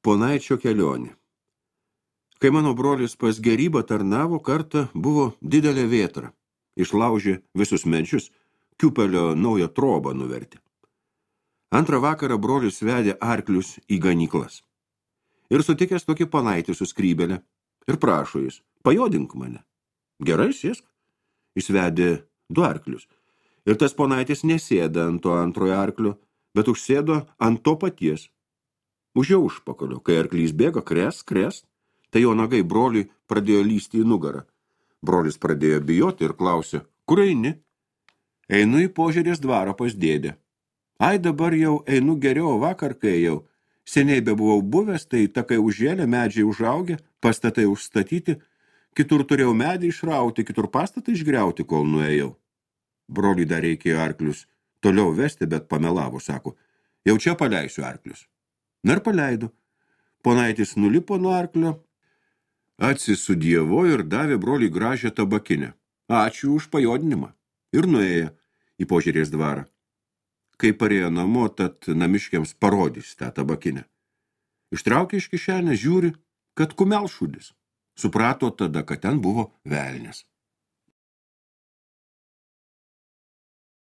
Ponaičio kelionė. Kai mano brolis pas gerybą tarnavo, kartą buvo didelė vėtra. Išlaužė visus medžius, kiupelio naują trobą nuvertė. Antrą vakarą brolis vedė arklius į ganyklas. Ir sutikęs tokį panaitį su skrybelę. Ir prašo jis, pajodink mane. Gerai, sėsk. Jis vedė 2 arklius. Ir tas ponaitis nesėda ant to antrojo arklio, bet užsėdo ant to paties. Už jo užpakalio, kai arklys bėga, kres, tai jo nagai broliui pradėjo lysti į nugarą. Brolis pradėjo bijoti ir klausė, kur eini? Einu į Požerės dvarą pas dėdę. Ai, dabar jau einu geriau, vakar kai ėjau. Seniai bebuvau buvęs, tai takai užžėlė, medžiai užaugę, pastatai užstatyti, kitur turėjau medį išrauti, kitur pastatą išgriauti, kol nuėjau. Broliui dar reikėjo arklius toliau vesti, bet pamelavo, sako, jau čia paleisiu arklius. Na ir paleido. Ponaitis nulipo nuo arklio, atsisudievo ir davė broliui gražią tabakinę. Ačiū už pajodinimą. Ir nuėjo į Požerės dvarą. Kai parėjo namo, tad namiškiams parodys tą tabakinę. Ištraukė iš kišenės, žiūri, kad kumelšudis. Suprato tada, kad ten buvo velnias.